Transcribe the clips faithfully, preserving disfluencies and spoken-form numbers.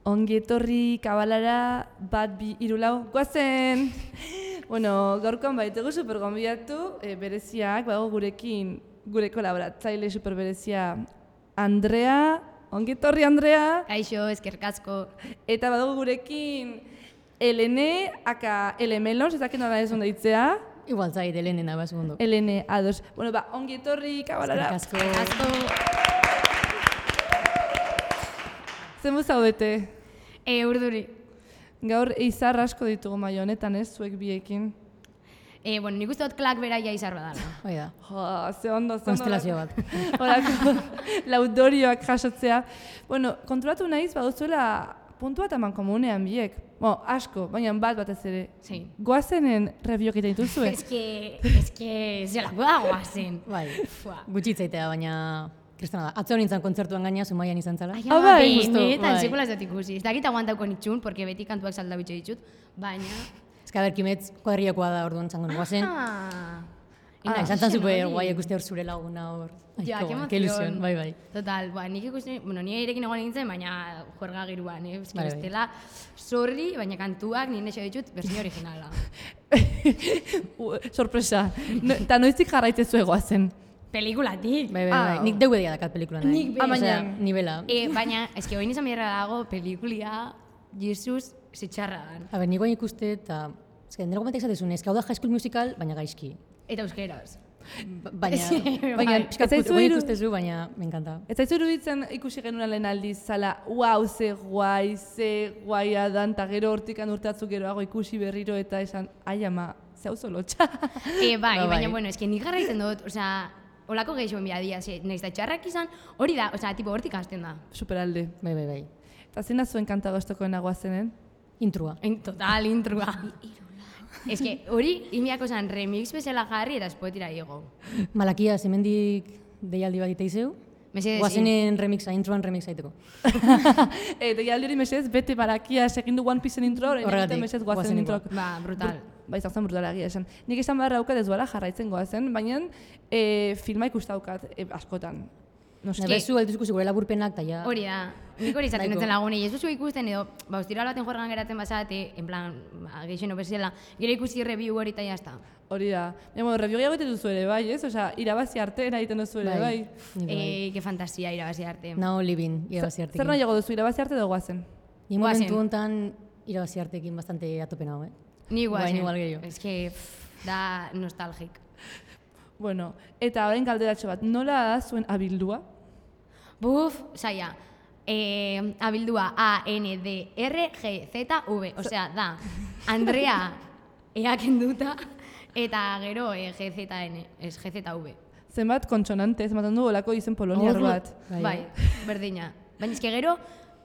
ongi etorri kabalara bat bi hiru lau goazen. Bueno, gaurkoan baitugu super gonbidatu e, bereziak, bago gurekin gure kolaboratzaile super berezia Andrea, ongi etorri Andrea. Kaixo, eskerrik asko. Eta badugu gurekin Elene, aka Elemelons, ezakit nola ez onda ditzea. Igual zait, Elene naba segundo. Elene, ados. Bueno, ba, ongi etorri kabalara. Eskerrik asko. Zenbu zaudete? E, urduri. Gaur izar asko ditugu maio honetan, ez, zuek biekin. E, bueno, nik uste dut klak beraia izar badala. Hoi da. Jo, ze ondo, ze ondo. Konstelazio bat. Horako laudorioak jasotzea. Bueno, kontrolatu nahiz, baduzuela puntu bat eman komunean biek. Bo, asko, baina bat batez ere. Sí. Goazenen rebiok egiten dituzue. Es que, es que, zelako da goazen. Bai, Fua. gutxitzaitea, baina kristana da. Atzo nintzen kontzertuan gaina, Zumaian izan zala. Ai, Ah, ama, bai, justo, bai. benetan, sekula ez dut ikusi. Ez dakit aguantauko nitxun, porque beti kantuak saldabitxo ditut, baina... Ez que, a ber, kimetz kuadriakoa da orduan zango goazen. Ah, Ina, Ah, izan zan zen super hori. guai ikuste hor zure laguna hor. Ja, Aiko, que emoción. que ilusión, bai, bai. Total, ba, nik ikusi, bueno, nire irekin egon nintzen, baina juerga giruan, eh? Eski Bai, bai. bestela, sorri, baina kantuak nire xo ditut, versión originala. U- Sorpresa. No, eta noiztik jarraitzezue goazen. Pelikulatik. Bai, bai, Ah. bai. Nik deudeia dakat pelikula nahi. Nik be- Ah, baina- Osea, nivela. E, baina, eski hori nizan biderra dago, pelikulia, Jesus, zitxarra dan. A ber, nik guain ikuste eta... Ez que, nire gomentek zatezun, ez que hau da High School Musical, baina gaizki. Eta euskeraz. Ba- Baina, Sí, baina, bai. pixkat Ez zaizu guain iru- ikustezu, baina, me encanta. Ez zaizu iruditzen ikusi genuen lehen aldiz, zala, wow, ze guai, ze guaia dan, eta gero hortikan urtatzu geroago ikusi berriro eta esan, ai ama, ze hau zolotxa. E, bai, Ba, bai. baina, bueno, eski nik jarraitzen dut, osea, olako gehiago enbia dia, ze, nahiz da txarrak izan, hori da, osea, tipo, hortik hasten da. Superalde. Bai, bai, bai. Eta zein da zuen kanta goztokoena goazenen? Intrua. En total, intrua. Ez que, hori, inbiako zan, remix bezala jarri eta Spotifyra igo. Malakia, zemendik deialdi bat iteizeu. Mesedez, Guazenen remixa, introan remixa aiteko. E, deialdi hori mesez, bete barakia segin du One Pieceen intro, orain Horregatik, egiten mesez goazen goazen introak. Ba, brutal. Ba, izan zen brutala egia esan. Nik esan beharra daukat ez duela jarraitzen goazen, baina e, filma ikustaukat e, askotan. Noski. Nebezu, aldiz ikusi gure laburpenak, eta ja... Hori da, nik hori izaten Nahiko. nintzen lagunei, ez duzu ikusten edo, ba, ostiral baten jorgan geratzen bazate, en plan, ba, geixen obezela, gero ikusi review hori eta jazta. Hori da. Emo, review gehiago egiten duzu ere, bai, ez? Osea, irabazi arte egiten duzu ere, bai. Nik bai. E, que fantasia irabazi arte. Now living, irabazi Zer artekin. nahiago duzu, irabazi arte edo goazen? Ni Goazen. momentu honetan irabazi artekin bastante atopen hau, eh? Ni Bai, guazen. igual gehiago. Ez que, pff, da nostalgik. Bueno, eta orain galderatxo bat, nola da zuen abildua? Buf, saia. E, abildua A, N, D, R, G, Z, V. Osea, da, Andrea eaken duta, eta gero e, G, Z, N, ez G, Z, V. Zenbat kontsonante, zenbat du olako izen poloniar Hor, bat. Bai, Bai, berdina. Baina eske gero,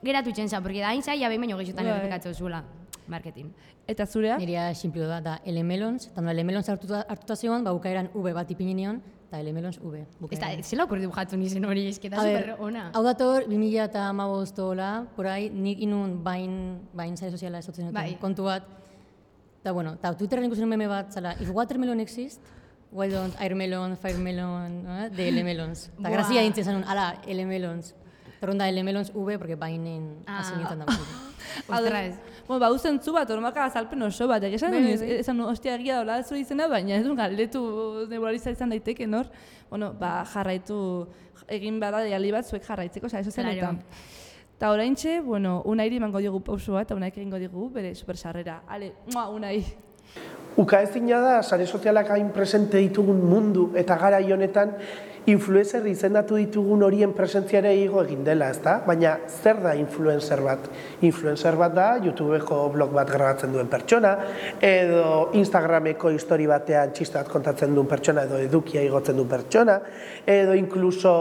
geratu txenza, porque da hain zaila behin baino gehiotan Bai. errepikatzen zuela. Marketing. Eta zurea? Nirea simplio da, da Elemelons, eta nola Elemelons hartuta, hartuta zion, ba, bukaeran V bat ipini nion, eta Elemelons V. Ez da, bukaeran. zela okurri dibujatu nizen hori, eske da A ber, super ona. hau dator, bi mila eta hamabost hola, por ahí, nik inun bain, bain sare soziala esotzen duten Bai. kontu bat. Da, bueno, eta Twitterren ikusen meme bat, zala, if watermelon exist, why don't airmelon, firemelon, eh, de Elemelons. Eta Buah. grazia dintzen zanun, ala, Elemelons. Torronda Elemelons V, porque bainen Ah. hasi nintzen da. Ostras. Bueno, ba, zentzu bat, ormaka azalpen oso bat, esan Bai, nuen, bai, ez- bai. esan nuen, ostia egia daula zure izena, baina ez du galdetu neburaliza izan daiteke, nor? Bueno, ba, jarraitu, egin bada deialdi bat zuek jarraitzeko, oza, eso zenetan. Claro. Eta oraintxe, bueno, Unairi emango diogu pausu bat, eta Unaik egingo digu bere super sarrera. Ale, mua, Unai. Ukaezina da, sare sozialak hain presente ditugun mundu eta garai honetan influencer izendatu ditugun horien presentziare igo egin dela, ezta? Baina zer da influencer bat? Influencer bat da YouTubeko blog bat grabatzen duen pertsona, edo Instagrameko histori batean txiste bat kontatzen duen pertsona, edo edukia igotzen duen pertsona, edo inkluso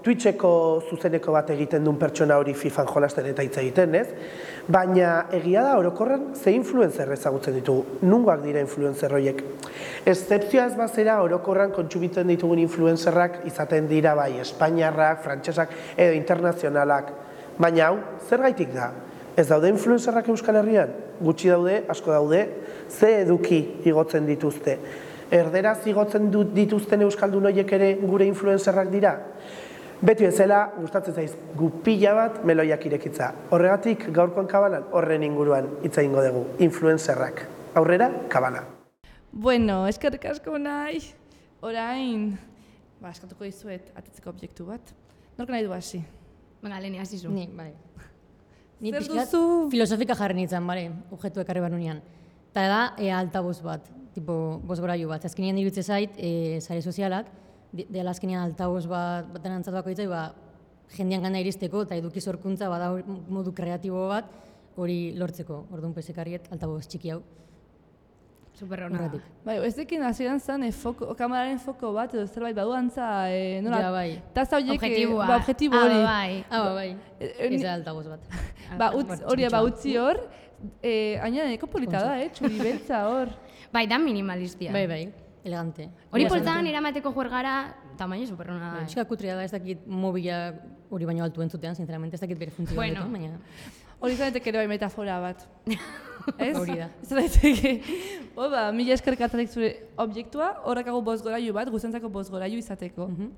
Twitcheko zuzeneko bat egiten duen pertsona hori FIFAn jolasten eta hitz egiten, ez? Baina egia da orokorren ze influencer ezagutzen ditugu, nungoak dira influencer horiek. Excepzioa ez bazera orokorran kontsumitzen ditugun influencerrak izaten dira bai espainiarrak, frantsesak edo internazionalak. Baina hau, zergaitik da? Ez daude influencerrak Euskal Herrian? Gutxi daude, asko daude, ze eduki igotzen dituzte. Erderaz igotzen dituzten euskaldun horiek ere gure influencerrak dira? Beti bezala, gustatzen zaiz gupila bat meloiak irekitza. Horregatik, gaurkoan kabanan, horren inguruan hitz egingo dugu, influencerrak. Aurrera, kabana. Bueno, eskerrik asko nahi. Orain, ba, eskatuko dizuet atetzeko objektu bat. Nork nahi du hasi? Venga, Leni, hasi zu. Ni, bai. Ni Zer pixkat duzu? filosofika jarri nintzen, bale, objektu ekarri banunean. Eta da, e, altaboz bat, tipo, bozgorailu bat. Azkenean dirutze zait, e, sare sozialak, dela azkenean altaboz bat baten antzatuako ditzai, ba, jendean gana iristeko eta eduki sorkuntza bada modu kreatibo bat hori lortzeko. Orduan pesekarriet altaboz txiki hau. Super hona. Horretik. Bai, ez dekin hasieran zen e, foko, kameraren foko bat edo zerbait badu antza, e, nola, Ja, bai. taza horiek, e, Objektiboa. ba, objektibo Ah, hori. bai. Ah, ba, bai. E, e, Ez ni- da altaboz bat. Ba, utz, Bueno, hori, ba, txikitxoa. utzi hor, e, aina neko polita da, eh, txuri beltza hor. Bai, da minimalistia. Bai, bai, elegante. Hori Mila poltsan esan. eramateko juergara, tamaino super hona da. Txika kutria da, ez dakit mobila hori baino altu entzutean, sinceramente, ez dakit bere funtzioa Bueno. honetan, baina... Hori zanetek ere bai metafora bat. Ez? Hori da. Ez daiteke. Oba, mila eskerrik atarik zure objektua, horrekago bozgorailu bat, guztientzako bozgorailu izateko. Mhm.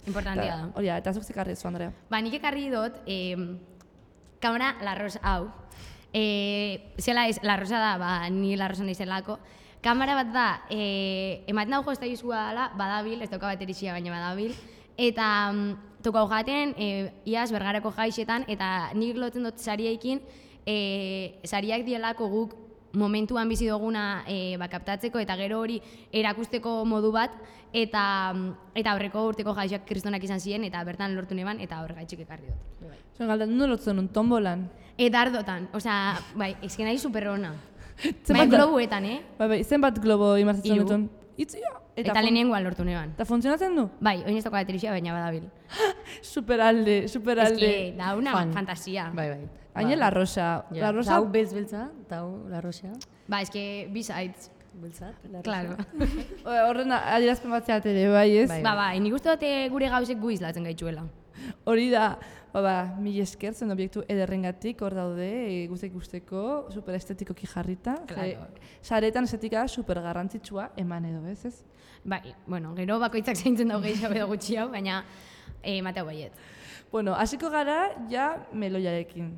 Importantia da. Hori da, eta zuk zekarri zu, Andrea. Ba, nik ekarri dut, eh, kamera La Rosa hau. Eh, zela ez, La Rosa da, ba, ni La Rosa naizelako. Kamera bat da, eh, ematen dago jozta izua dela, badabil, ez dauka baterixia baina badabil. Eta mm, tokau jaten, eh, iaz bergarako jaixetan, eta nik lotzen dut sariekin, eh, sariak dielako guk momentuan bizi duguna e, ba, kaptatzeko eta gero hori erakusteko modu bat eta eta aurreko urteko jaixak kristonak izan ziren eta bertan lortu neban eta horregaitxik ekarri dut. Zuen galdan, nu lotzen un tombolan. Eta ardotan, osea, bai, ezken nahi superrona. Zenbat Bai, da- globuetan, eh? Bai, bai, zenbat globo imartzen Hiru. dutun? Itzia! Eta, fun- lehenengoan lortu neban. Eta funtzionatzen du? Bai, oin ez dauka baterixia baina badabil. Superalde, Ez superalde. que, da una Fan. fantasia. Bai, bai. Haine la rosa. Ja. La Ta rosa, hau beltz beltza, eta hau la rosa. Ba, ez que, besides. Beltzat, la rosa. Claro. horren adierazpen bat zeat ere, bai, ez? Bai. Ba, bai, nik uste dute gure gauzek gu izlatzen gaitxuela. Hori da, ba, ba, mil esker zen obiektu ederrengatik hor daude, e, guztek guzteko, super estetikoki jarrita. Claro. Saretan estetika super garrantzitsua eman edo, ez ez? Bai, bueno, gero bakoitzak zaintzen dago gehiago edo gutxiago, baina eh, mateu baiet. Bueno, hasiko gara ja meloiarekin.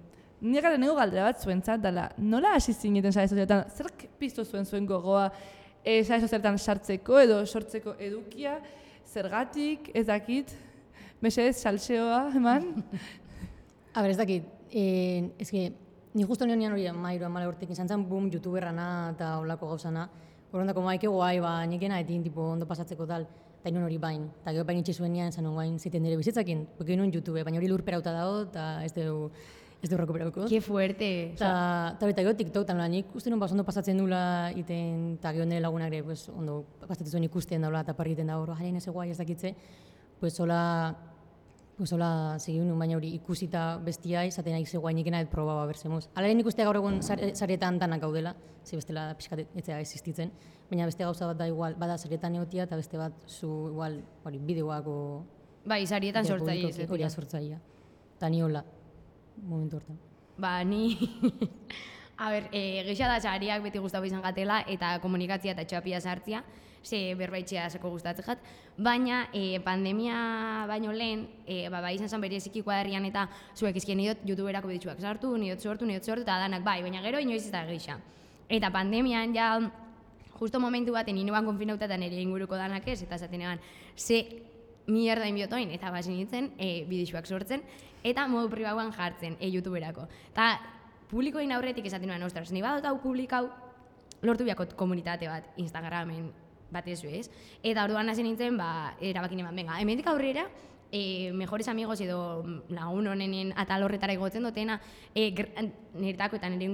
Nik gara nego galdera bat zuentzat dela, nola hasi zineten sare sozialetan, zerk piztu zuen zuen gogoa e, sare sozialetan sartzeko edo sortzeko edukia, zergatik, ez dakit, mesedez salseoa eman? A ber, ez dakit, eh, ez que, ni justo nion hori mairu amala urtekin izan zen, boom, youtuberrana eta olako gauzana. Horrendako maike guai, ba, nikena etin tipo ondo pasatzeko tal, eta inun hori bain. Eta gero bain itxe zuenean, zan guain ziten nire bizitzakin, porque inun YouTube, baina hori lurperauta dago, eta ez dugu, ez dugu recuperauko. Qué fuerte. Eta eta gero TikTok, eta nola, nik uste nun bas ondo pasatzen dula iten, eta gero nire lagunak ere, pues, ondo pasatzen zuen ikusten daula, eta parriten da hor, jaren ez guai ez dakitze, pues hola, pues hola segi nun, baina hori ikusita bestia izaten nahi ze guai nikena et proba ba bersemos. Hala ere nik uste gaur egun sare- saretan danak gaudela, ze bestela pixkat etzea existitzen, baina beste gauza bat da igual, bada saretan egotia eta beste bat zu igual, hori, bideoak o... Bai, sarietan bideo sortzaile publikoki, ez. Hori da sortzailea. Eta ni hola, momentu hortan. Ba, ni... A ber, e, geisha da sariak beti gustatu izan gatela eta komunikatzia eta txapia sartzia, ze berbaitxea zeko gustatzen jat, baina e, pandemia baino lehen, e, ba, bai izan zen bereziki kuadrian eta zuek izkien nidot youtuberako biditxuak sartu, nidot sortu, nidot sortu, eta danak bai, baina gero inoiz ez da geisha. Eta pandemian ja, justo momentu baten inoan konfinauta eta nire inguruko danak ez, eta esaten egan, ze mierda inbiotoin, eta basi nintzen e, bidixuak sortzen, eta modu pribauan jartzen e, youtuberako. Eta publikoin aurretik esaten nuen, ostras, ni badot hau publikau, lortu biako komunitate bat Instagramen batez ez. Eta orduan hasi nintzen, ba, erabakin eman, venga, hemendik aurrera, e, mejores amigos edo lagun honenen atal horretara egotzen dutena, e, niretako eta nire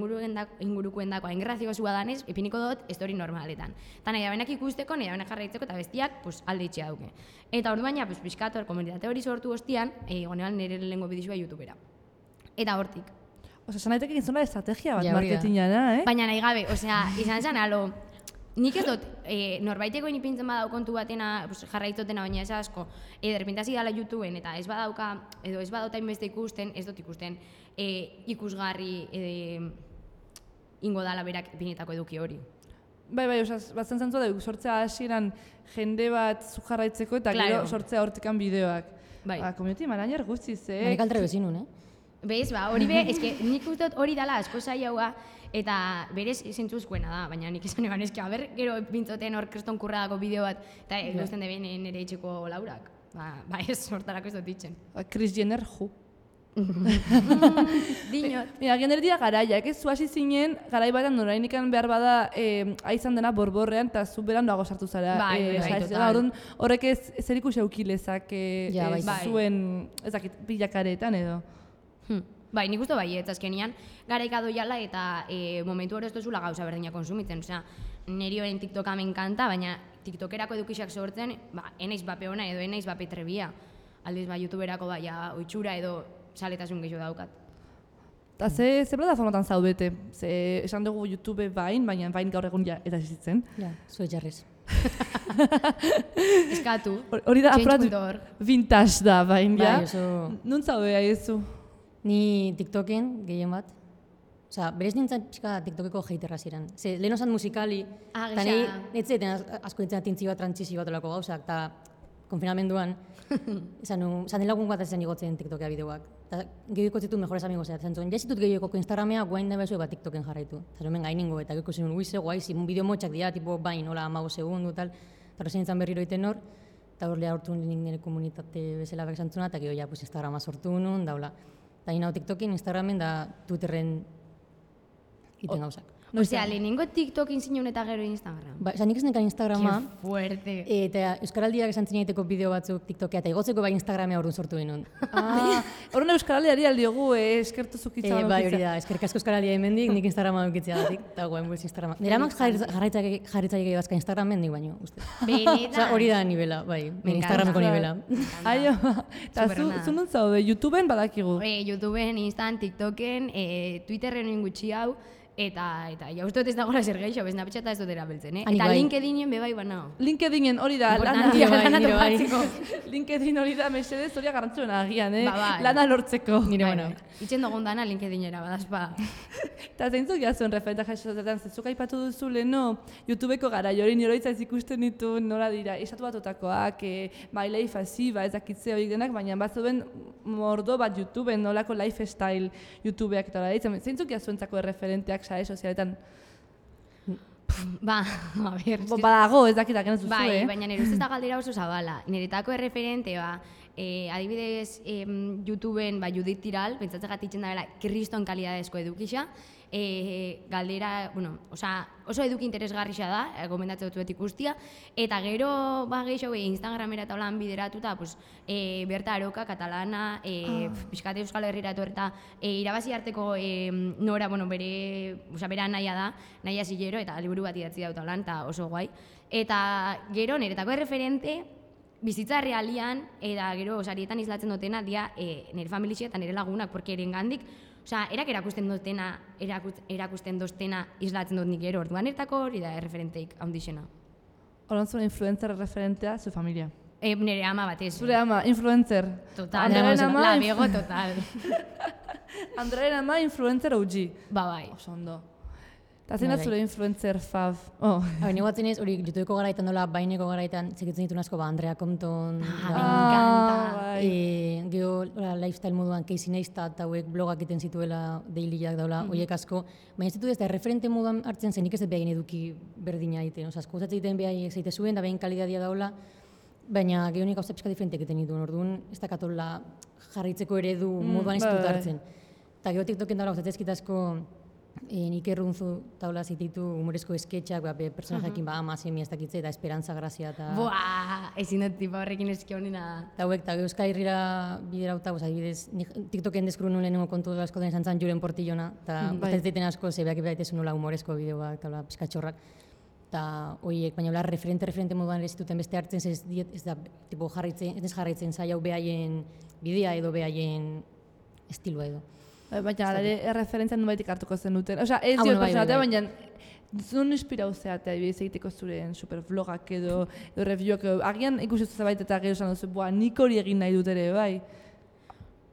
ingurukoen dako hain graziosua danez, ipiniko dut story normaletan. Eta nahi dabenak ikusteko, nahi dabenak jarraitzeko eta bestiak pues, alde itxea duke. Eta orduan ja, pues, pixkator, komunitate hori sortu ostian, e, gonean nire lehengo bidizua youtubera. Eta hortik. Osa, esan daiteke gizona estrategia bat Ja, hori da. marketingana, eh? Baina nahi gabe, osea, izan zen alo, nik ez dut, e, norbaiteko inipintzen badau kontu batena, pues, jarraitzotena baina ez asko, e, derpintasi dala YouTubeen eta ez badauka, edo ez badauta inbeste ikusten, ez dut ikusten e, ikusgarri e, ingo dala berak ipinetako eduki hori. Bai, bai, osa, batzen zentzua da, sortzea hasieran jende bat zu jarraitzeko eta Claro. gero sortzea hortikan bideoak. Bai. Ba, community manager guztiz, eh? Nik altre bezinun, eh? Bez, ba, hori be, eske nik uste dut hori dala asko zailaua, eta berez zentzuzkoena da, baina nik esan eban eske, aber, gero pintzoten hor kriston kurradako bideo bat, eta ikusten deben nire etxeko laurak. Ba, ba ez, hortarako ez dut ditzen. Ba, Kris Jenner, ju. Dinot. Mira, gener dira garaiak, ez zu hasi zinen, garai batean norainikan behar bada eh, aizan dena borborrean, eta zu beran dago sartu zara. Bai, eh, bai, sa- total. orduan, horrek ez zer ikusi aukilezak eh, Ja, eh, baita. zuen, ezakit, bilakaretan edo. Hmm. Bai, nik uste bai, ez azkenian garaika doiala eta e, momentu hori ez duzula gauza berdina konsumitzen. Osea, niri horren TikToka me enkanta, baina TikTokerako edukixak sortzen, ba, enaiz bape ona edo enaiz bape trebia. Aldiz, ba, YouTuberako baia oitxura edo saletasun gehiago daukat. Eta ze, ze plataformatan zaudete? Ze, esan dugu YouTube bain, baina bain gaur egun ja eta zitzen. Ja, zuet jarrez. Eskatu. Hor- Hori da change apurat punto org. vintage da bain, ja? Bai, oso... Nun zaude haiezu? Ni TikToken gehien bat. Osea, berez nintzen pixka TikTokeko haterra ziren. Ze, lehen osan musikali, Ah, eta gisa. ni netzeeten asko nintzen atintzi bat, trantzizio bat olako gauzak, eta konfinamenduan, esan nu, zan lagun bat ezen igotzen TikTokea bideoak. Eta gehioko zitut mejores amigos zen zuen, jasitut gehioko Instagramea guain da bezue bat TikToken jarraitu. Eta hemen gainingo, eta gehioko zen, uize, guai, zimun bideo motxak dira, tipo, bain, hola, amago segundu, tal. Eta horrezen nintzen berriro iten hor, eta hor lehar hortu nik nire komunitate bezala behar zantzuna, eta gero ja, pues, Instagrama sortu nun, daula. Eta hina TikTokin, Instagramen, da Twitterren iten gauzak. Osea, lehenengo TikTokin zinun eta gero Instagram. Ba, esan nik ez nekan Instagrama, Qué fuerte. eta Euskaraldiak esan zineteko bideo batzuk TikTokea, eta igotzeko bai Instagramea orduan sortu genuen. Ah, horren euskaraldiari aldiogu, eh, eskertu zukitza. E, bai, hori da, eskerrik asko Euskaraldia hemendik, nik Instagrama dukitzea datik, eta guen buiz Instagrama. Nire amak jarritzaik bazka Instagramen nik baino, uste. Benetan. Osea, hori da nivela, bai, Me Instagrameko encanta. nivela. Aio, eta zu, Superona. zu nun zaude, YouTubeen badakigu. E, YouTubeen, Instan, TikToken, e, Twitterren gutxi hau, eta eta ja uste dut ez dagoela zer gehiago, bez Snapchata ez dut erabiltzen, eh? Hanik Eta bai. LinkedInen bebai banao. LinkedInen hori da, lana, Importantia, bai, lana nire bai. topatzeko. LinkedIn hori da, mesedez hori garrantzuna agian, eh? Ba, bai. Lana lortzeko. Nire Bai, bueno. bai. Itzen dugun dana LinkedInera, badazpa. Eta zeintzuk jazuen referenta jasotetan, zezuk aipatu duzu leheno, YouTubeko gara, jori niroitza ez ikusten ditu nola dira, esatu batotakoak, e, bai life asiba, ez dakitze horiek denak, baina batzuen mordo bat YouTubeen, nolako lifestyle YouTubeak eta hori ditzen, zeintzuk jazuentzako referenteak sare sozialetan? Ba, a ber, Bo, badago, ez dakitak ez duzu, bai, eh? baina nire ustez da galdera oso zabala. Niretako erreferente, ba, e, adibidez, em, YouTubeen, ba, Judith Tiral, pentsatzen gatitzen da bela, kriston kalidadezko edukisa, e, galdera, bueno, osa, oso eduki interesgarria da, e, gomendatzen dut ikustia, eta gero, ba, gehiago, e, Instagramera eta holan bideratuta, pues, e, Berta Aroka, katalana, e, ah. Piskat Euskal Herrira etorreta, e, irabazi arteko e, nora, bueno, bere, osa, bera naia da, naia zilero, eta liburu bat idatzi dauta holan, eta oso guai. Eta gero, niretako erreferente, bizitza realian, eta gero, sarietan izlatzen dutena, dia, e, nire familixia eta nire lagunak, porque eren gandik, osea, erak erakusten dutena, erakut, erakusten doztena islatzen dut nik gero, orduan ertako hori da erreferenteik handixena. Horan zuen influencer referentea, zu familia. E, nire ama batez. Zure ama, influencer. Total, Andrearen ama, la inf- bego total. Andrearen ama, influencer O G. Ba, bai. Oso ondo. Eta zein da Bai, zure influencer fav? Oh. Hau, nik batzen ez, hori YouTubeko garaitan dola, baineko garaitan, zekitzen ditu asko, ba, Andrea Compton, Ah, ba, me encanta. bai. E, geho, ora, lifestyle moduan Casey Neistat eta hauek blogak egiten zituela dailyak daula, horiek asko, baina ez ditu ez da referente moduan hartzen zen, nik ez dut behain eduki berdina egiten, oza, asko uzatzen egiten behai zeite zuen, da behin kalidadia daula, baina geho nik gauza pixka diferentek egiten dituen, orduan ez dakatola jarritzeko eredu moduan ez bai, dut bai. hartzen. Eta geho TikToken daula uzatzen ezkitazko E, nik errunzu taula zititu humorezko esketxak, ba, be, personajekin ba, ama, semi, ez dakitze, eta esperantza, grazia, eta... Buah, ezin dut tipa horrekin eski honena. Eta hauek, eta Euskal Herrira biderauta, pues, adibidez, nik TikToken deskuru nuen lehenengo kontu asko den izan zen Julen Portillona, eta Mm, bai. bai. Batetzen asko, ze behak baitezu nola humorezko bideoak, eta hola, pizkatxorrak. Eta horiek, baina hola, referente, referente moduan ere ez dituten beste hartzen, ze ez, diet, ez da, tipo, jarraitzen, ez jarraitzen zai hau behaien bidea edo behaien estilua edo. Baina, ala ere, erreferentzia nubaitik hartuko zen duten. Osea, ez Ah, dio bueno, bai, personatea, bai, baina zuen inspirau zeatea, adibidez egiteko zuren supervlogak edo, edo reviewak edo, agian ikusi zuzabait eta gero esan duzu, boa, nik hori egin nahi dut ere, bai.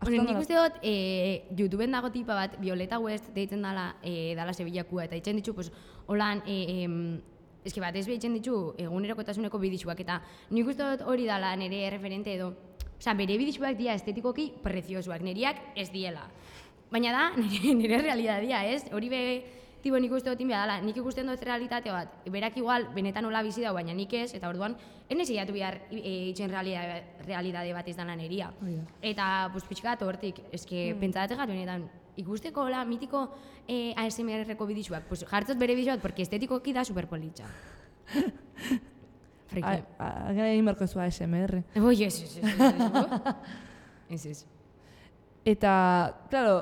Bueno, nik uste dut, e, YouTubeen dago tipa bat, Violeta West deitzen dala, e, dala Sevillakua, eta itzen ditu, pues, holan, e, em, eski bat ez behitzen ditu egunerokotasuneko bidixuak, eta nik uste dut hori dala nire referente edo, Osea, bere bidixuak dira estetikoki preziosuak, niriak ez diela. Baina da, nire, nire realidadia, ez? Hori be, tipo, nik uste dut inbea dela, nik ikusten dut realitate bat, berak igual, benetan hola bizi dau, baina nik ez, eta orduan, ene zeiatu behar e, itxen realidade, realidade bat izan neria. Eta, pues, pixkat, hortik, eske, mm. pentsadatze gatu benetan, ikusteko, hola, mitiko eh, A S M R-ko bidixuak, pues, jartzot bere bidixuak, porque estetikoki da superpolitxa. Friki. Gara egin barko zu A S M R. Oi, ez, ez, ez, ez, ez. Eta, claro,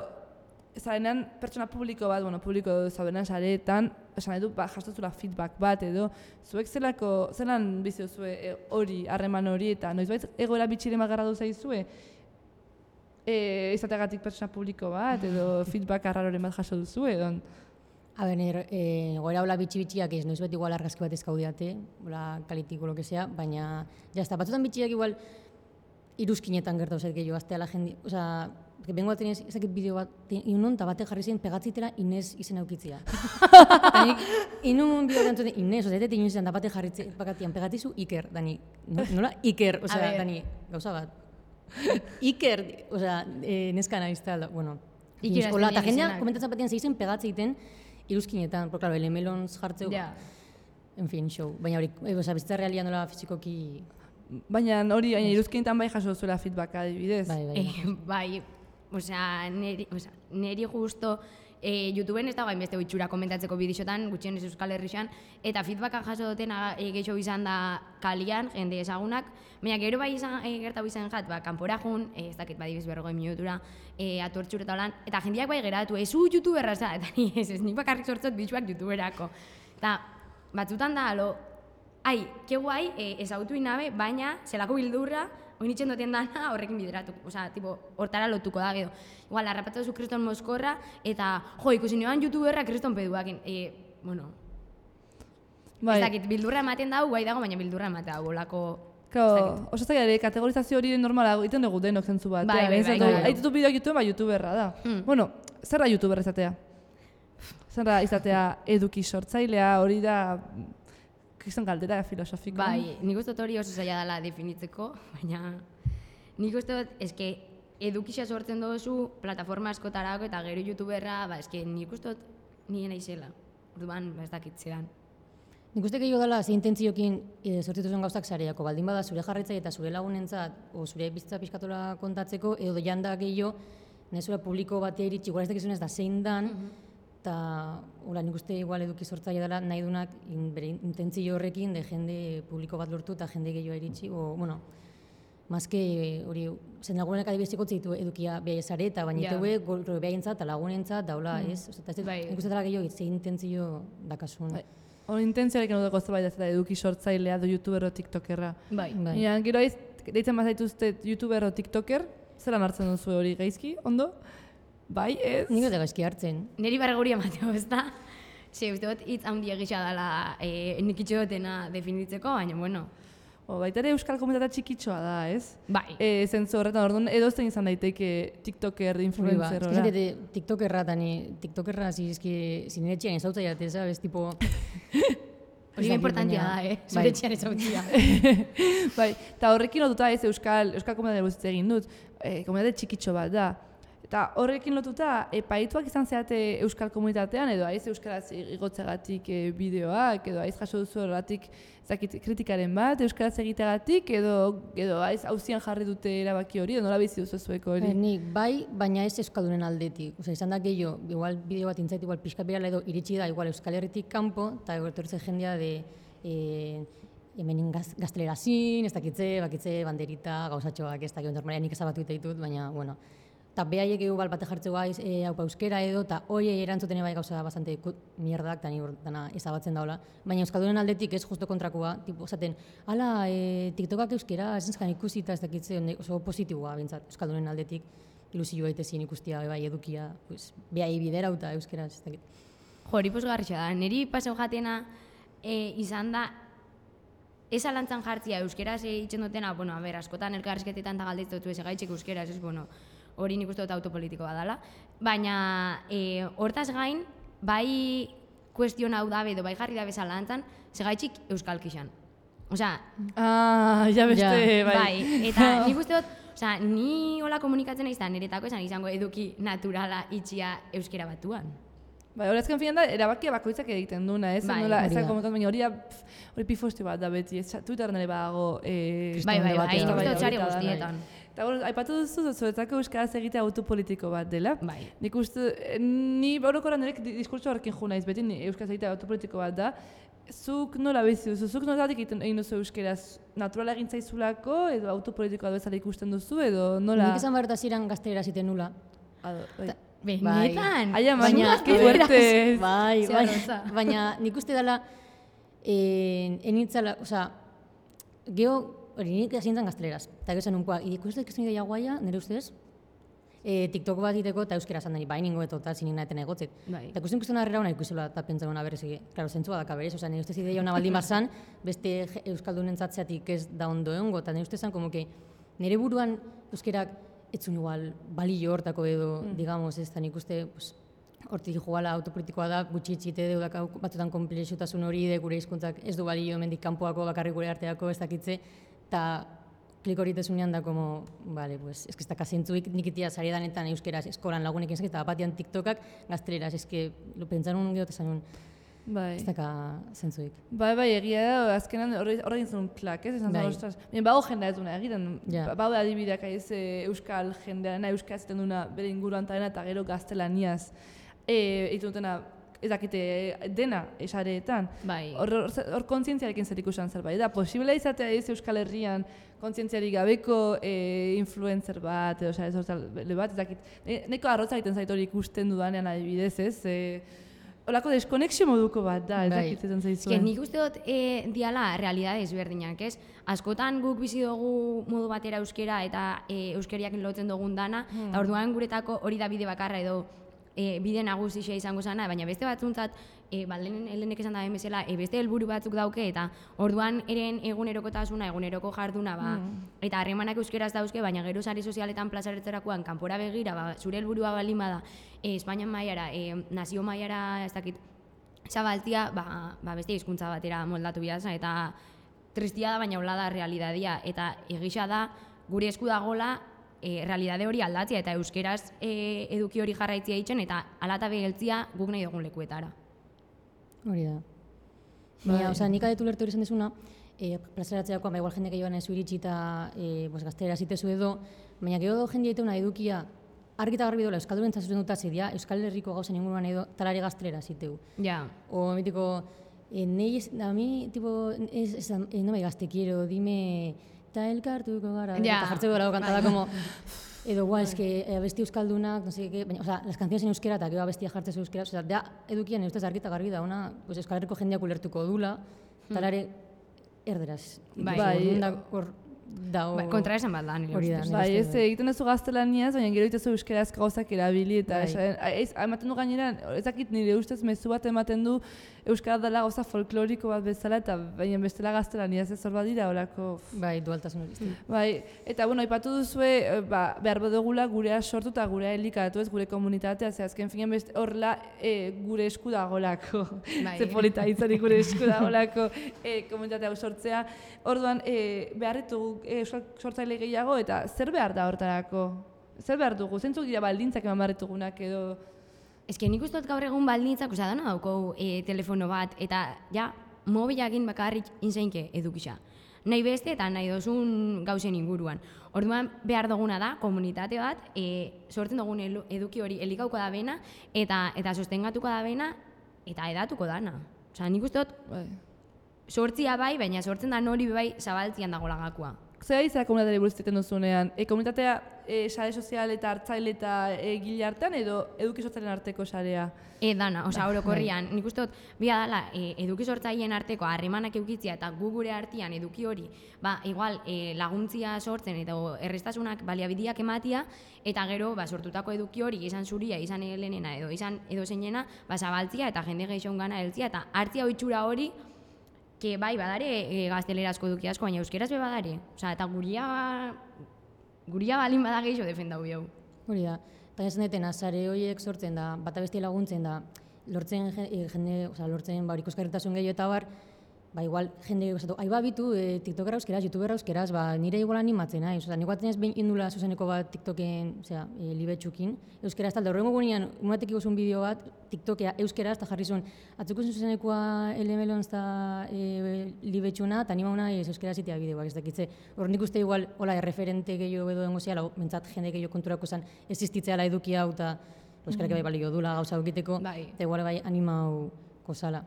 zarenean pertsona publiko bat, bueno, publiko zaudenan sareetan, esan edu, ba, jastozula feedback bat edo, zuek zelako, zelan bizi duzue hori, harreman hori, eta noizbait egoera bitxiren magarra duzaizue, e, izateagatik pertsona publiko bat, edo feedback arraroren bat jaso duzu, edo? A ber, e, goera hola bitxi-bitxiak ez, noiz bet igual argazki bat ezkaudiate, hola kalitiko, lo que sea, baina, jazta, batzutan bitxiak igual iruzkinetan gertau zait gehiago, aztea la jende, oza, porque bengo bat tenez, ezakit bideo bat, inun, eta bate jarri zen pegatzitela Inez izen aukitzia. Danik, inun bideo gantzuten Inez, oza, etet inun zen, da bate jarri bakatian pegatizu Iker, dani, nola Iker, oza, dani, gauza bat. Iker, oza, e, neska nahizta, bueno, Iker, hola, eta jendea komentatzen batean zeizen pegatze egiten iruzkinetan, porque, claro, elemelons jartzeu, ja. En fin, show. Baina hori, e, oza, bizitza realia nola fizikoki... Baina hori, baina iruzkinetan bai jaso zuela feedback adibidez. Bai, bai. Eh, bai, osea, neri, osea, neri justo eh, YouTubeen ez dago hainbeste itxura komentatzeko bidixotan, gutxienez Euskal Herrixan, eta feedbacka jaso dutena e, gehiago izan da kalian, jende ezagunak, baina gero bai izan, e, gertau izan jat, ba, kanpora jun, e, ez dakit badibiz berrogoi minutura, e, atortxur eta holan, eta jendeak bai geratu, ez u youtuberra, eta ni ez, ez nik bakarrik sortzot bidixuak youtuberako. Eta batzutan da, alo, ai, ke guai, e, ezautu inabe, baina zelako bildurra, oin itxen duten dana horrekin bideratu, osea, tipo, hortara lotuko da, gero. Igual, harrapatu zu Kriston Moskorra, eta, jo, ikusi nioan youtuberra Kriston Peduakin, e, bueno, bai. Ez dakit, bildurra ematen dago, guai dago, baina bildurra ematen dago, olako... Claro, oso zaila ere, kategorizazio hori normala egiten dugu denok zentzu bat. Bai, bai, bai. Aitutu bideo YouTube, ba, youtuberra da. Mm. Bueno, zer da youtuber izatea? Zer da izatea eduki sortzailea, hori da... Kriston galdera filosofiko. Bai, nik uste dut hori oso zaila dela definitzeko, baina nik uste dut, eske, edukisa sortzen duzu plataforma askotarako eta gero youtuberra, ba, eske, nik uste dut nien aizela. Orduan, ba, ez dakitzean. Nik uste gehiago dela, ze intentziokin e, sortituzuen gauzak zareako, baldin bada zure jarraitzaile eta zure lagunentzat, o zure bizitza pixkatola kontatzeko, edo janda gehiago, nahi zure publiko batea iritsi, igual ez dakizunez da zein dan, eta hola, nik uste igual eduki sortzaile dela nahi dunak in, bere intentzio horrekin de jende publiko bat lortu eta jende gehiago iritsi, o, bueno, mazke hori, zen lagunenak adibiziko zitu edukia behar zareta, baina yeah. Iteue gorro behaintzat eta lagunentzat, daula, mm. ez? Oza, ez bai. Nik uste dela gehiago, ze intentzio dakasun. Bai. Hori intentziarekin dut gozta bai da eduki sortzailea do youtuber o tiktokerra. Bai. bai. Ja, gero aiz, deitzen bazaituzte youtuber o tiktoker, zelan hartzen duzu hori gaizki, ondo? Bai, ez? Nik dut gaizki hartzen. Neri barguri emateo, ez da? Ze, uste dut, hitz handia gisa dela e, nik itxo dutena definitzeko, baina, bueno. O, baita ere euskal komunitatea txikitxoa da, ez? Bai. E, zentzu horretan, orduan, edozten izan daiteke tiktoker, influencer, hori. Ba, ez tiktokerra, tani, tiktokerra, zizki, zineretxean ezautzea, ez, tipo... Hori importantia da, eh? Zineretxean ezautzea. Bai, eta horrekin lotuta ez euskal, euskal komunitatea guztiak egin dut, e, komunitatea txikitxo bat da. Eta horrekin lotuta, epaituak izan zeate euskal komunitatean, edo aiz euskaraz igotzegatik e, bideoak, edo aiz jaso duzu horretik kritikaren bat, euskaraz egiteagatik, edo, edo aiz hauzian jarri dute erabaki hori, edo nola bizi duzu zueko hori? Nik, bai, baina ez euskaldunen aldetik. Osa, izan da gehiago, igual bideo bat intzait, igual pixkat birala edo iritsi da, igual Euskal Herritik kanpo, eta etortzen jendea de... E, hemen gaz, gaztelerazin, ez dakitze, bakitze, banderita, gauzatxoak, ez dakit, normalean nik ezabatu eta ditut, baina, bueno, eta behaiek egu bate jartzeko gaiz e, haupa euskera edo, eta hoi erantzuten bai gauza bastante mierdak, eta ni ezabatzen daula. Baina euskaldunen aldetik ez justo kontrakoa, tipo, esaten, ala, e, tiktokak euskera, ez enzkan ikusi eta ez dakitze, oso positiboa bintzat, euskaldunen aldetik, ilusio baitezien ikustia, bai edukia, pues, behai biderauta euskera, ez dakit. Jo, hori posgarritxa da, niri paseu jatena e, izan da, ez alantzan jartzia euskeraz egiten dutena, bueno, a ber, askotan elkarrizketetan eta galdetzotu ez egaitxek euskeraz, ez, bueno, hori nik uste dut autopolitikoa dela, baina e, hortaz gain, bai kuestion hau dabe edo bai jarri dabe zalantzan, segaitxik euskalkixan. Osea... Ah, ja beste, ja. bai. Bai, eta nik uste dut Osea, ni hola komunikatzen naiz da niretako esan izango eduki naturala itxia euskera batuan. Bai, hori azken finan da, erabakia bakoitzak egiten duna, ez? Bai, Nola, hori ez da. da komentatu, baina hori da, pf, hori pifosti bat da beti, ez, Twitterren ere badago, eh, Bai, bai, bai, debatea. nik uste Bai, dut sare hori da, guztietan. Eta bueno, aipatu duzu, zuretzako euskaraz egitea autopolitiko bat dela. Bai. Nik uste, eh, ni orokorran nirek diskurtso horrekin jo naiz, beti ni euskaraz egitea autopolitiko bat da. Zuk nola bizi duzu, zuk nolatik egiten egin duzu euskaraz, naturala egin zaizulako, edo autopolitikoa bezala ikusten duzu, edo nola... Nik esan behar eta ziren gaztelera ziten nula. Ado, bai. Benetan? Aia, Baina- manu, que fuerte. Bai, Ze bai, arrotza. baina nik uste dela, eh, enitzala, osea, geho, hori nik esintzen gazteleraz, eta gero zen unkoa, ikusten ikusten ideia guaia, nire ustez, eh, TikTok bat iteko eta euskera zan dani, bai ningo eto eta zinin naeten egotzet. Bai. Eta ikusten ikusten arrera hona ikusela eta pentsa hona berez, klaro, zentzua daka berez, osea, nire ustez ideia hona baldin bazan, beste je- euskaldunen zatzeatik ez da ondo egongo, eta nire ustez zan, como que, nire buruan euskerak etzun igual balio hortako edo, mm. digamos, ez da nik uste, pues, hortik jugala autopolitikoa da, gutxi itxite deudak batzutan konplexutasun hori de gure hizkuntzak ez du balio hemendik kanpoako bakarrik gure arteako ez dakitze, eta klik hori tezunean da, como, vale, pues, ez que ez daka zentzuik nik itia sari danetan euskeraz eskolan lagunekin ezak, eta batian TikTokak gazteleraz, ez que, lo pentsarun geho tesanun, Bai. ez daka zentzuik. Bai, bai, egia da, azkenan horre egin zen klak, ez? Esan Bai. zen, ostras, baina bago jendea ez duna egiten, Ja. baude adibideak aiz e, euskal jendearena, euskaz ziten duna bere inguruan tarena eta gero gaztelaniaz e, egiten dutena, ez dakite dena esareetan. Bai. Hor, hor, hor kontzientziarekin zer ikusan zerbait da. Posible izatea ez Euskal Herrian kontzientziarik gabeko e, influencer bat, edo sare soziale bat, ez dakit. Ne, neko arrotza egiten zait hori ikusten dudanean adibidez, ez? E, Olako deskonexio moduko bat da, ez Bai. dakit zetan Ez que zaizuen. nik uste dut e, diala realidade ezberdinak, ez? Askotan guk bizi dugu modu batera euskera eta e, euskeriak lotzen dugun dana, Hmm. eta orduan guretako hori da bide bakarra edo e, bide nagusia izango zana, baina beste batzuntzat, e, ba, lehen, lehenek esan da bezala, e, beste helburu batzuk dauke, eta orduan eren egunerokotasuna, eguneroko jarduna, ba, eta harremanak euskeraz dauzke, baina gero sare sozialetan plazaretzerakoan kanpora begira, ba, zure helburua baldin bada, e, Espainian mailara, e, nazio mailara, ez dakit, zabaltzia, ba, ba beste hizkuntza batera moldatu bihazan, eta tristia da, baina hola da realidadia, eta egisa da, gure esku dagola, e, realidade hori aldatzea, eta euskeraz e, eduki hori jarraitzia itxen, eta alata beheltzia guk nahi dugun lekuetara. Hori da. Baina, Bai. osea, nik adetu lertu hori esan desuna, e, plazaratzeakoan, ba, igual jende gehiagoan ez iritsi eta e, pues, gaztelera zitezu edo, baina gero jende egiteuna edukia argi eta garbi dola Euskaldunen zazuzen dut azidia, Euskal Herriko gauzen inguruan edo talari gaztelera ziteu. Ja, O, mitiko, eh, nei, es- a mi, tipo, es, es, eh, no me gaste quiero, dime, ta elkartuko gara, Ja. eta jartzeko gara kantada, como, edo, guau, es que eh, abesti euskaldunak, no sé qué, baina, o sea, las canciones en euskera eta gero abestia jartzez euskera, o sea, da, edukian, ustez argi eta garbi da, ona, pues, Euskal Herriko jendeak ulertuko dula, talare erderaz. Bai. Bai. Orduan da, hor, da, ba, kontra esan bat da, nire Hori da, ustez. Bai, ez, uste dut. egiten duzu gaztelaniaz, baina gero egitezu euskeraz gauzak erabili, eta Bai. esaten, ez, ematen du gainera, ez dakit nire ustez mezu bat ematen du euskara dela gauza folkloriko bat bezala, eta baina bestela gaztelaniaz ez hor badira, horako... Bai, dualtasun hori. Mm. Bai, eta bueno, aipatu duzue, eh, ba, behar badugula gurea sortu eta gurea elikatu ez, gure komunitatea, ze azken finean beste horrela e, gure esku dagolako. Bai. Ze polita izanik gure esku dagolako e, komunitatea sortzea. Orduan, e, behar ditugu e, euskal sortzaile gehiago, eta zer behar da hortarako? Zer behar dugu? Zentzuk dira baldintzak eman behar ditugunak edo... Ez que nik uste dut gaur egun baldintzak, osea, dana dauko e, telefono bat, eta ja, mobilakin bakarrik inseinke edukisa. Nahi beste eta nahi dozun gauzen inguruan. Orduan behar duguna da, komunitate bat, e, sortzen dugun elu- eduki hori elikauko da bena, eta, eta sostengatuko da bena, eta edatuko dana. Osea, nik uste dut, Bai. sortzia bai, baina sortzen da hori bai zabaltzian dago lagakoa. Zer izan komunitateari buruz egiten duzunean? E, komunitatea e, sare sozial eta hartzaile eta egile artean edo eduki sortzaileen arteko sarea? E, dana, osea, orokorrian, nik uste dut, bia dala, e, eduki sortzaileen arteko harremanak eukitzia eta gu gure artean eduki hori, ba, igual, e, laguntzia sortzen eta errestasunak baliabideak ematia, eta gero, ba, sortutako eduki hori, izan zuria, izan helenena edo izan edo zeinena, ba, zabaltzia eta jende gehiago gana heltzia, eta hartzia ohitura hori, que bai, badare e, gaztelerazko eduki asko, baina euskeraz be badare. Osea, eta guria, guria balin bada gehiago defendau biau. Hori da. Eta esan detena, sare horiek sortzen da, bata besti laguntzen da, lortzen je- eh, jende, osea, lortzen ba, hori ikusgarritasun gehiago eta bar, ba, igual, jende gozatu, aiba bitu, e, TikTokera euskeraz, YouTubera euskeraz, ba, nire igual animatzen naiz. Osa, nik batzen ez behin indula zuzeneko bat TikToken, osea, e, libetxukin, euskeraz talde, horrengo gunean, unatek igozun bideo bat, TikTokea euskeraz, eta jarri zuen, atzukuzun zuzenekoa elemelon eta e, libetxuna, eta anima una ez euskeraz itea bideoak, ez dakitze. Hor nik uste igual, hola, erreferente gehiago edo dengo zehala, mentzat jende gehiago konturako zen, existitzeala eduki hau, eta euskarak bai balio dula gauza egiteko, Bai. eta igual bai animau kozala.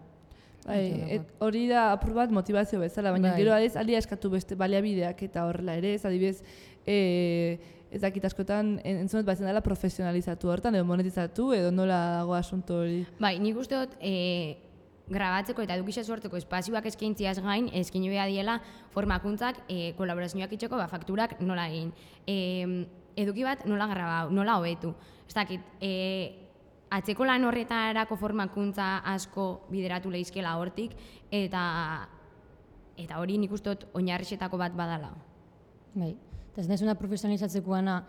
Bai, et, hori da apur bat motivazio bezala, baina Bai. gero ez alia eskatu beste baliabideak eta horrela ere, ez adibidez, e, ez dakit askotan en- entzunet batzen dela profesionalizatu hortan, edo monetizatu, edo nola dago asunto hori. Bai, nik uste dut, e, grabatzeko eta edukixa sortzeko espazioak eskaintziaz gain, eskaini behar diela formakuntzak, e, kolaborazioak itxeko, ba, fakturak nola egin. E, eduki bat nola grabau, nola hobetu. Ez dakit, e, atzeko lan horretarako formakuntza asko bideratu lehizkela hortik, eta eta hori nik uste dut oinarrixetako bat badala. Bai, eta ez naizuna profesionalizatzekoana,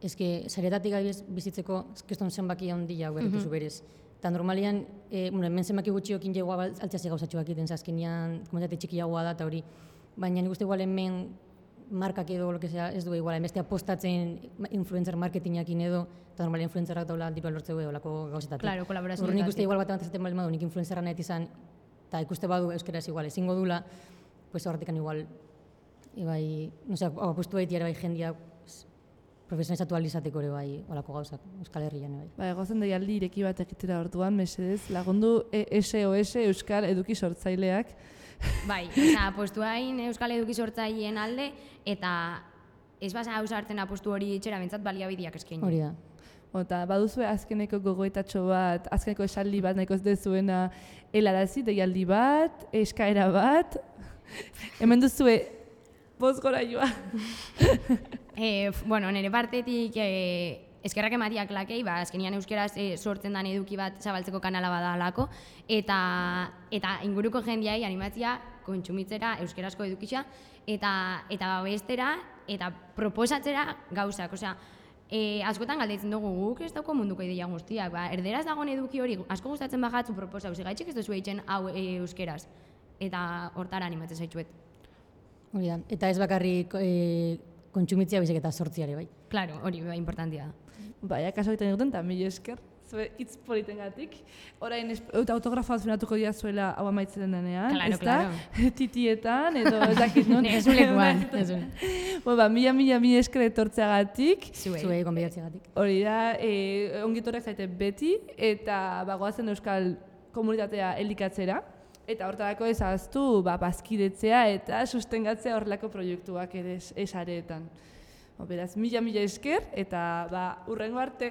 eske saretatik gabiz bizitzeko keston zenbaki handia hau berritu zu berez. Eta normalian, e, bueno, hemen zenbaki gutxiokin jegoa altziazi gauzatxoak egiten, azkenean komunitate txikiagoa da eta hori. Baina nik uste igual hemen markak edo, lo que sea, ez du igual, emeste apostatzen influencer marketingakin edo, eta normal influencerrak daula diru lortzeu edo lako gauzetatik. Claro, kolaborazioetatik. Hor nik uste igual bat bat ezaten bali madu, nik influencerra nahi izan, eta ikuste badu euskeraz igual, ezingo dula, pues horretikan igual, ibai, no sé, apustu baiti ere bai jendia profesionalizatu alizateko ere bai, olako gauzak, Euskal Herrian bai. Ba, egozen deialdi ireki bat egitera orduan, mesedez, lagundu E S O S Euskal Eduki Sortzaileak. Bai, osea, apostu hain Euskal Eduki Sortzaileen alde, eta ez basa hau sartzen apostu hori itxera bentsat baliabideak eskaini. Hori da. Eta baduzue azkeneko gogoetatxo bat, azkeneko esaldi bat nahiko ez dezuena helarazi, deialdi bat, eskaera bat, hemen duzue bost gora joa. E, bueno, nire partetik e, eskerrak ematiak lakei, ba, azkenian euskeraz e, sortzen den eduki bat zabaltzeko kanala badalako, eta, eta inguruko jendiai animatzia kontsumitzera euskerazko edukitza, eta, eta babestera, eta proposatzera gauzak, osea, e, askotan galdetzen dugu guk ez dauko munduko ideia guztiak, ba, erderaz dagoen eduki hori asko gustatzen bagatzu proposau, zigaitxik ez duzu eitzen hau e, euskeraz, eta hortara animatzen zaitzuet. Hori da. Eta ez bakarrik e, kontsumitzia baizik eta sortziare bai. Claro, hori bai importantia da. Bai, akaso egiten egiten, eta mila esker, zue hitz politengatik. Orain, eta autografoa zunatuko dira zuela hau amaitzen denean, Claro, ezta? claro. Titietan, edo ez dakit non. Ez ulekuan, ez un. Bo, ba, mila, mila, mila esker etortzeagatik. Zuei. Zuei gonbidatzeagatik. Hori da, e, ongitorrek zaite beti, eta bagoazen euskal komunitatea elikatzera. Eta hortarako ezaztu ba, bazkidetzea eta sustengatzea horrelako proiektuak ere esareetan. Beraz, mila mila esker eta ba, urrengo arte.